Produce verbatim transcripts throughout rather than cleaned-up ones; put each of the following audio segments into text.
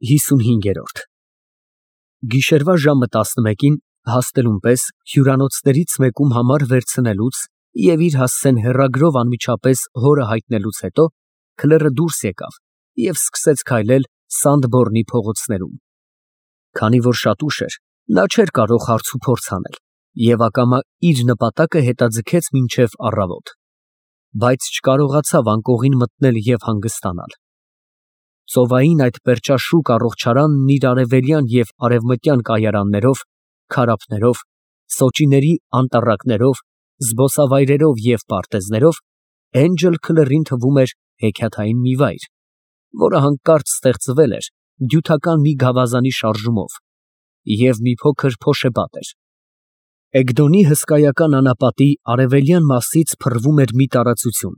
ՀԻսունհինգ Գիշերվա ժամը տասնմեկին հասնելուն պես հյուրանոցներից մեկում համար վերցնելուց և իր հասցեն հեռագրով անմիջապես հորը հայտնելուց հետո քլերը դուրս եկավ և սկսեց քայլել Սանդբորնի փողոցներում։ Քանի որ շատ ուշ էր, նա չէր կարող հարցուփորձ անել և ակամա իր նպատակը հետաձգեց մինչև առավոտ, բայց չկարողացավ անկողին մտնել և հանգստանալ։ Ծովային այդ պերճաշուք առողջարանն իր արևելյան և արևմտյան կայարաններով, քարափներով, սոճիների անտառակներով, զբոսավայրերով և պարտեզներով Էնջել Քլերին թվում էր հեքիաթային մի վայր, որը հանկարծ ստեղծվել էր դյութական մի գավազանի շարժումով և մի փոքր փոշեպատ էր։ Էգդոնի հսկայական անապատի արևելյան մասից փռվում էր մի տարածություն,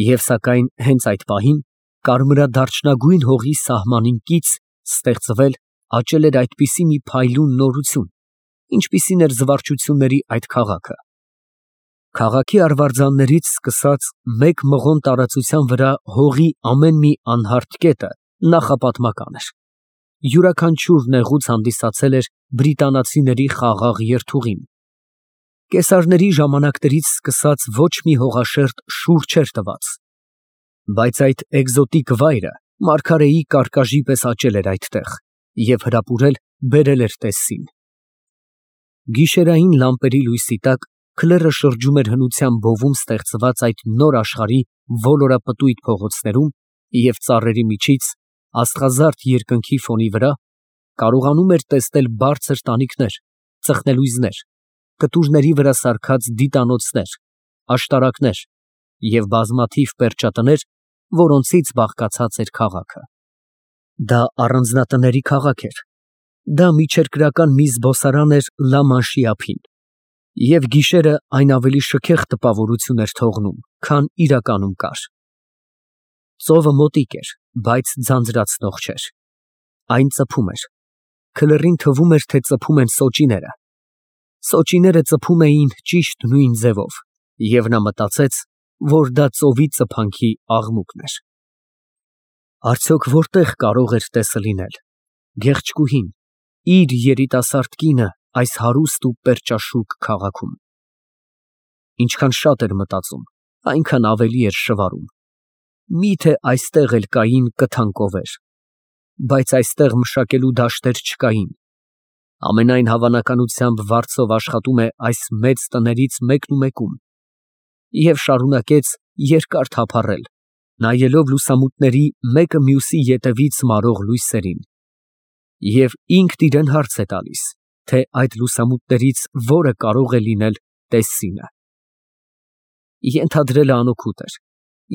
և սակայն հենց այդ պահին կարմրադարչնագույն հողի սահմանին կից ստեղծվել աճել էր այդպիսի մի փայլուն նորություն, ինչպիսին էր զվարճությունների այդ քաղաքը։ Քաղաքի արվարձաններից սկսած մեկ մղոն տարածության վրա հողի ամեն մի անհարթ կետը նախապատմական էր։ Յուրաքանչյուր նեղուց հանդիսացել էր բրիտանացիների խաղաղ երթուղին։ Կեսարների ժամանակներից սկսած ոչ մի հողաշերտ շուռ չէր տված, բայց այդ էկզոտիկ վայրը մարգարեի կարկաժի պես աճել էր այդտեղ և հրապուրել բերել էր տեսին։ Գիշերային լամպերի լույսի տակ քլերը շրջում էր հնության բովում ստեղծված այդ նոր աշխարհի ոլորապտույտ փողոցներում և ծառերի միջից, աստղազարդ երկնքի ֆոնի վրա, կարողանում էր տեսնել բարձր տանիքներ, ծխնելույզներ, կտուրների վրա սարքած դիտանոցներ, աշտարակներ և բազմաթիվ պերճատներ, որոնցից բաղկացած էր քաղաքը։ Դա առանձնատների քաղաք էր, դա միջերկրական մի զբոսարան էր Լա Մանշի ափին, և գիշերը այն ավելի շքեղ տպավորություն էր թողնում, քան իրականում կար։ Ծովը մոտիկ էր, բայց ձանձրացնող չէր։ Այն ծփում էր։ Քլերին թվում էր, թե ծփում են սոճիները։ Սոճիները ծփում էին ճիշտ նույն ձևով, և նա մտածեց, որ դա ծովի ծփանքի աղմուկն էր։ Արդյոք որտե՞ղ կարող էր տեսը լինել, գեղեցկուհին, իր երիտասարդ կինը այս հարուստ ու պերճաշուք քաղաքում։ Ինչքան շատ էր մտածում, այնքան ավելի էր շվարում։ Մի՞թե այստեղ էլ կային կթան կովեր։ Բայց այստեղ մշակելու դաշտեր չկային։ Ամենայն հավանականությամբ վարձով աշխատում է այս մեծ տներից մեկնումեկում։ Եվ շարունակեց երկար թափառել, նայելով լուսամուտների մեկը մյուսի ետևից մարող լույսերին։ Եվ ինքն իրան հարց է տալիս, թե այդ լուսամուտներից որը կարող է լինել տեսինը։ Ենթադրելը անօգուտ էր,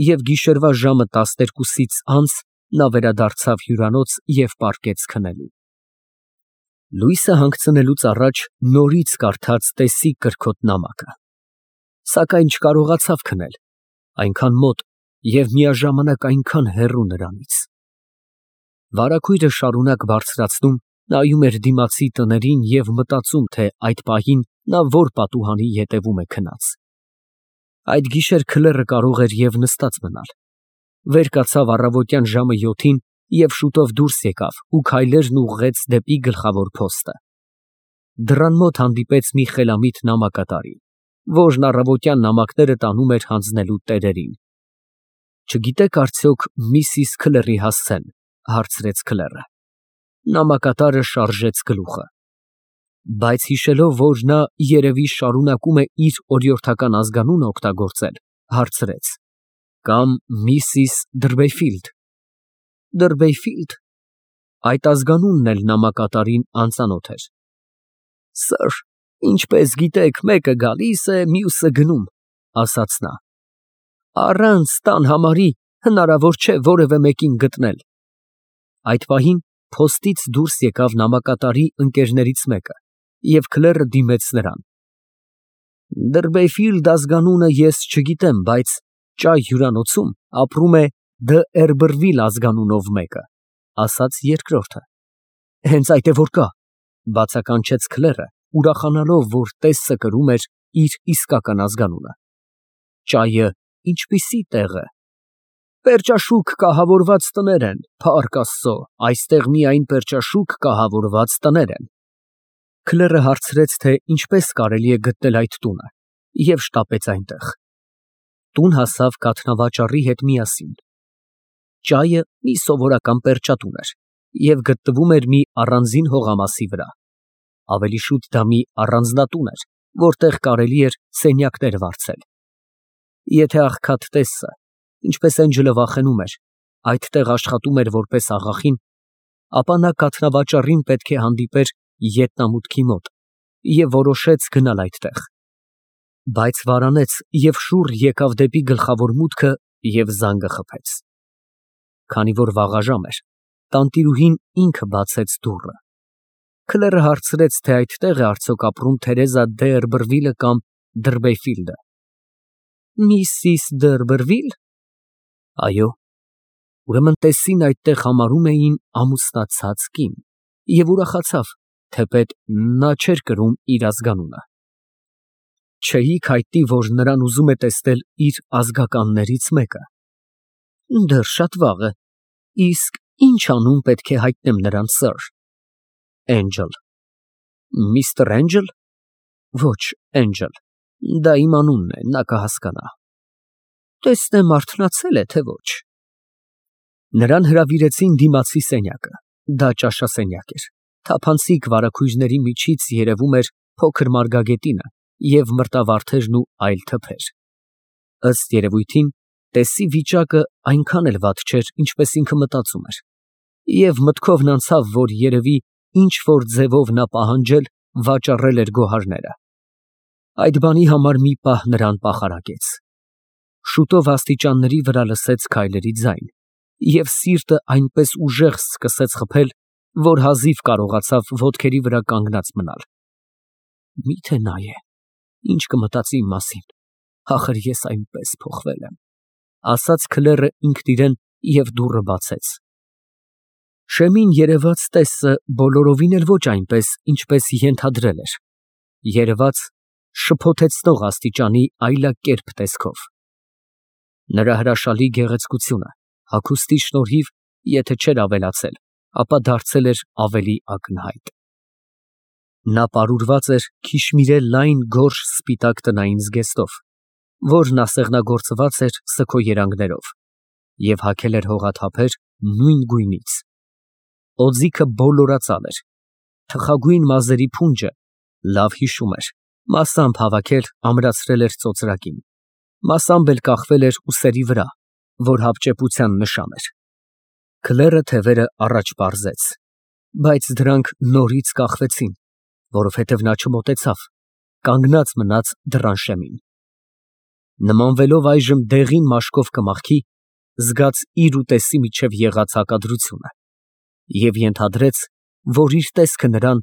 և գիշերվա ժամը տասներկուսից անց նա վերադարձավ հյուրանոց և պառկեց քնելու։ Լույսը հանգցնելուց առաջ նորից կարդաց տեսի կրքոտ նամակը, սակայն չկարողացավ քնել, այնքան մոտ և միաժամանակ այնքան հեռու նրանից։ Վարագույրը շարունակ բարձրացնում, նայում էր դիմացի տներին և մտածում, թե այդ պահին նա որ պատուհանի ետևում է քնած։ Այդ գիշեր քլերը կարող էր և նստած մնալ։ Վեր կացավ առավոտյան ժամը յոթին և շուտով դուրս եկավ ու քայլերն ուղղեց դեպի գլխավոր փոստը։ Դռան մոտ հանդիպեց մի խելամիտ նամակատարի, որն առավոտյան նամակները տանում էր հանձնելու տերերին։ Չգիտե՞ք արդյոք միսիս Քլերի հասցեն, հարցրեց քլերը։ Նամակատարը շարժեց գլուխը, բայց հիշելով, որ նա երևի շարունակում է իր օրիորդական ազգանունը օգտագործել, հարցրեց. Կամ միսիս Դըրբեյֆիլդ։ Դըրբեյֆիլդ։ Այդ ազգանունն էլ նամակատարին անծանոթ էր։ Սըր, ինչպես գիտեք, մեկը գալիս է, մյուսը գնում, ասաց նա։ Առանց տան համարի հնարավոր չէ որևէ մեկին գտնել։ Այդ պահին փոստից դուրս եկավ նամակատարի ընկերներից մեկը, և քլերը դիմեց նրան։ Դըրբեյֆիլդ ազգանունը ես չգիտեմ, բայց Ճայ հյուրանոցում ապրում է Դը Էրբրվիլ ազգանունով մեկը, ասաց երկրորդը։ Հենց այդ է որ կա, բացականչեց քլերը, ուրախանալով, որ տեսը կրում էր իր իսկական ազգանունը։ Ճայը ինչպիսի տեղ է։ Պերճաշուք կահավորված տներ են, փառք Աստծո, այստեղ միայն պերճաշուք կահավորված տներ են։ Քլերը հարցրեց, թե ինչպես կարելի է գտնել այդ տունը, և շտապեց այնտեղ։ Տուն հասավ կաթնավաճառի հետ միասին։ Ճայը մի սովորական պերճատուն էր և գտնվում էր մի առանձին հողամասի վրա։ Ավելի շուտ դա մի առանձնատուն էր, որտեղ կարելի էր սենյակներ վարձել։ Եթե աղքատ տեսը, ինչպես Էնջելը վախենում էր, այդտեղ աշխատում էր որպես աղախին, ապա նա կաթնավաճառին պետք է հանդիպեր ետնամուտքի մոտ և որոշեց գնալ այդտեղ։ Բայց վարանեց և շուռ եկավ դեպի գլխավոր մուտքը և զանգը խփեց։ Քանի որ վաղաժամ էր, տանտիրուհին ինքը բացեց դուռը։ Քլերը հարցրեց, թե այդտեղ է արդյոք ապրում Թերեզա Դ'Երբերվիլը կամ Դըրբեյֆիլդը։ Միսիս Դ'Երբերվիլ։ Այո։ Ուրեմն տեսին այդտեղ համարում էին ամուսնացած կին և ուրախացավ, թեպետ նա չէր կրում իր ազգանունը։ Չէիք հայտնի, որ նրան ուզում է տեսնել իր ազգականներից մեկը։ Դեռ շատ վաղ է, իսկ ի՞նչ անուն պետք է հայտնեմ նրան, սըր։ Էնջլ։ Միստր Էնջլ։ Ոչ, Էնջլ, դա իմ անունն է, նա կհասկանա։ Տեսնեմ արթնացել է, թե ոչ։ Նրան հրավիրեցին դիմացի սենյակը, դա ճաշասենյակ էր, թափանցիկ վարագույրների միջից երևում էր փոքր մարգագետինը և մրտավարդերն ու այլ թփեր։ Ըստ երևույթին, տեսի վիճակը այնքան էլ վատ չէր, ինչպես ինքը մտածում էր, և մտքովն անցավ, որ երևի ինչ֊որ ձևով նա պահանջել, վաճառել էր գոհարները։ Այդ բանի համար մի պահ նրան պախարակեց։ Շուտով աստիճանների վրա լսեց քայլերի ձայն, և սիրտը այնպես ուժեղ սկսեց խփել, որ հազիվ կարողացավ ոտքերի վրա կանգնած մնալ։ Միթե նա է, ինչ կմտածի իմ մասին, ախր ես այնպես փոխվել եմ, ասաց քլերը ինքն իրեն և դուռը բացեց։ Շեմին երևաց տեսը բոլորովին էլ ոչ այնպես, ինչպես ենթադրել էր, երևաց շփոթեցնող աստիճանի այլակերպ տեսքով։ Նրա հրաշալի գեղեցկությունը հագուստի շնորհիվ, եթե չէր ավելացել, ապա դարձել էր ավելի ակնհայտ։ Նա պարուրված էր քիշմիրե լայն գորշ սպիտակ տնային զգեստով, որն ասեղնագործված էր սգո երանգներով, և հագել էր հողաթափեր նույն գույնից։ Օձիքը բոլորածալ էր, թխագույն մազերի փունջը, լավ հիշում էր, մասամբ հավաքել ամրացրել էր ծոծրակին, մասամբ էլ կախվել էր ուսերի վրա, որ հապճեպության նշան էր։ Քլերը թևերը առաջ պարզեց, բայց դրանք նորից կախվեցին, որովհետև նա չմոտեցավ, կանգնած մնաց դռան շեմին։ Նմանվելով այժմ դեղին մաշկով կմախքի, զգաց իր ու տեսի միջև եղած հակադրությունը և ենթադրեց, որ իր տեսքը նրան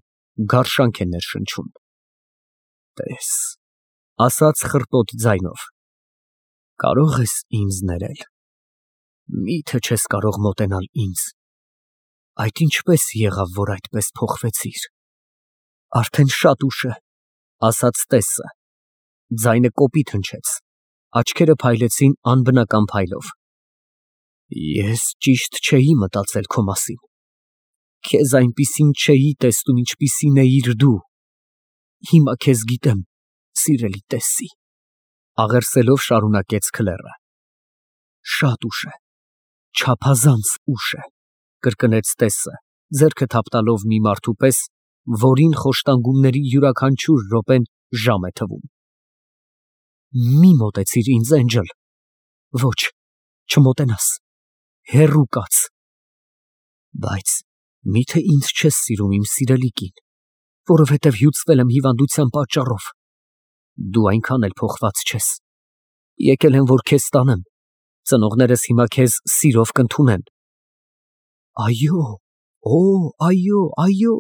գարշանք է ներշնչում։ Տես, ասաց խռպոտ ձայնով, կարո՞ղ ես ինձ ներել, մի՞թե չես կարող մոտենալ ինձ, այդ ինչպե՞ս եղավ, որ այդպես փոխվեցիր։ Արդեն շատ ուշ է, ասաց տեսը, ձայնը կոպիտ հնչեց, աչքերը փայլեցին անբնական փայլով։ Ես ճիշտ չէի մտածել քո մասին, քեզ այնպիսին չէի տեսնում, ինչպիսին էիր դու, հիմա քեզ գիտեմ, սիրելի տեսի, աղերսելով շարունակեց քլերը։ Շատ ուշ է, չափազանց ուշ է, կրկնեց տեսը, ձեռքը թափտալով մի մարդու պես, որին խոշտանգումների յուրաքանչյուր րոպեն ժամ է թվում։ Մի մոտեցիր ինձ, Էնջլ, ոչ, չմոտենաս, հեռու կաց։ Բայց միթե ինձ չես սիրում, իմ սիրելի կին, որովհետև հյուծվել եմ հիվանդության պատճառով։ Դու այնքան էլ փոխված չես։ Եկել եմ, որ քեզ տանեմ, ծնողներս հիմա քեզ սիրով կընդունեն։ Այո, օ, այո, այո,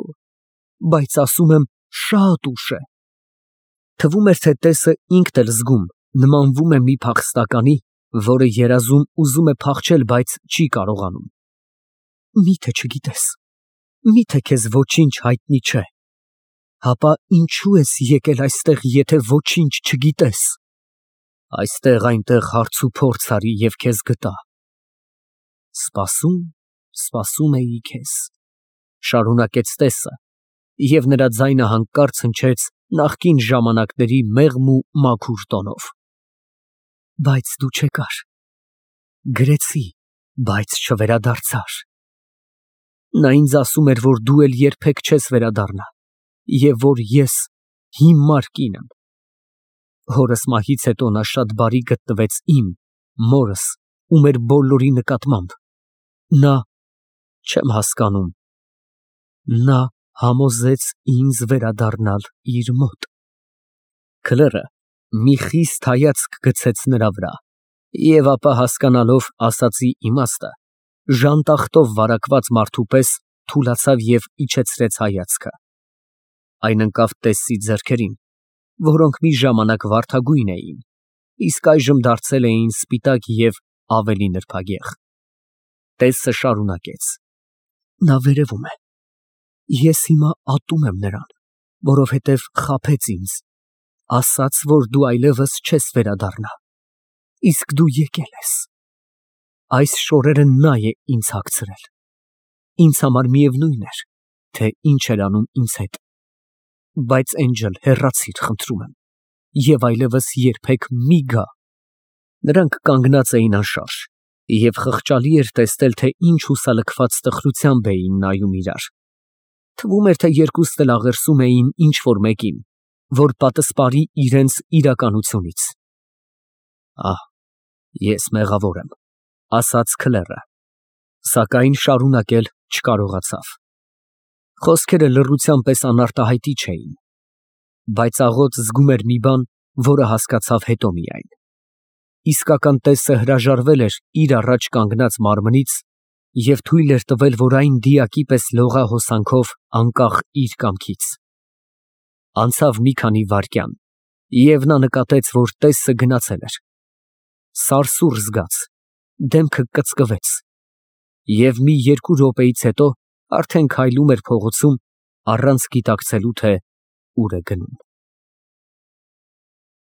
բայց ասում եմ, շատ ուշ է։ Թվում էր, թե տեսը ինքն էլ զգում, նմանվում է մի փախստականի, որը երազում ուզում է փախչել, բայց չի կարողանում։ Միթե չգիտես, միթե քեզ ոչինչ հայտնի չէ, հապա ինչու ես եկել այստեղ, եթե ոչինչ չգիտես։ Այստեղ այնտեղ հարց ու փորձ արի և քեզ գտա, Սպասում, սպասում էի քեզ, շարունակեց տեսը, և նրա ձայնը հանկարծ հնչեց նախկին ժամանակների մեղմ ու մաքուր տոնով։ Բայց դու չեկար, գրեցի, բայց չվերադարձար։ Նա ինձ ասում էր, որ դու էլ երբեք չես վերադառնա, և որ ես հիմար կին եմ։ Հորս մահից հետո նա շատ բարի գտնվեց իմ, մորս ու մեր բոլորի նկատմամբ։ Նա… չեմ հասկանում… նա համոզեց ինձ վերադառնալ իր մոտ… Քլերը մի խիստ հայացք գցեց նրա վրա և ապա, հասկանալով ասածի իմաստը, ժանտախտով վարակված մարդու պես թուլացավ և իջեցրեց հայացքը։ Այն ընկավ տեսի ձեռքերին, որոնք մի ժամանակ վարդագույն էին, իսկ այժմ դարձել էին սպիտակ և ավելի նրբագեղ։ Տեսը շարունակեց. նա վերևում է, ես հիմա ատում եմ նրան, որովհետև խաբեց ինձ, ասաց, որ դու այլևս չես վերադառնա, իսկ դու եկել ես։ Այս շորերը նա է ինձ հագցրել։ Ինձ համար միևնույն էր, թե ինչ էր անում ինձ հետ, բայց Էնջլ, հեռացիր, խնդրում եմ, և այլևս երբեք մի գա։ Նրանք կանգնած էին անշարժ, և խղճալի էր տեսնել, թե ինչ հուսալքված տխրությամբ էին նայում իրար։ Թվում էր, թե երկուսն էլ աղերսում էին ինչ֊որ մեկին, որ պատսպարի իրենց իրականությունից։ Ահ, ես մեղավոր եմ, ասաց քլերը, սակայն շարունակել չկարողացավ։ Խոսքերը լռության պես անարտահայտիչ էին, բայց աղոտ զգում էր մի բան, որը հասկացավ հետո միայն։ Իսկական տեսը հրաժարվել էր իր առաջ կանգնած մարմնից և թույլ էր տվել, որ այն դիակի պես լողա հոսանքով անկախ իր կամքից։ Անցավ մի քանի վայրկյան, և նա նկատեց, որ տեսը գնացել էր։ Սարսուռ զգաց, դեմքը կծկվեց և մի երկու րոպեից հետո արդեն քայլում էր փողոցում, առանց գիտակցելու, թե ուր է գնում։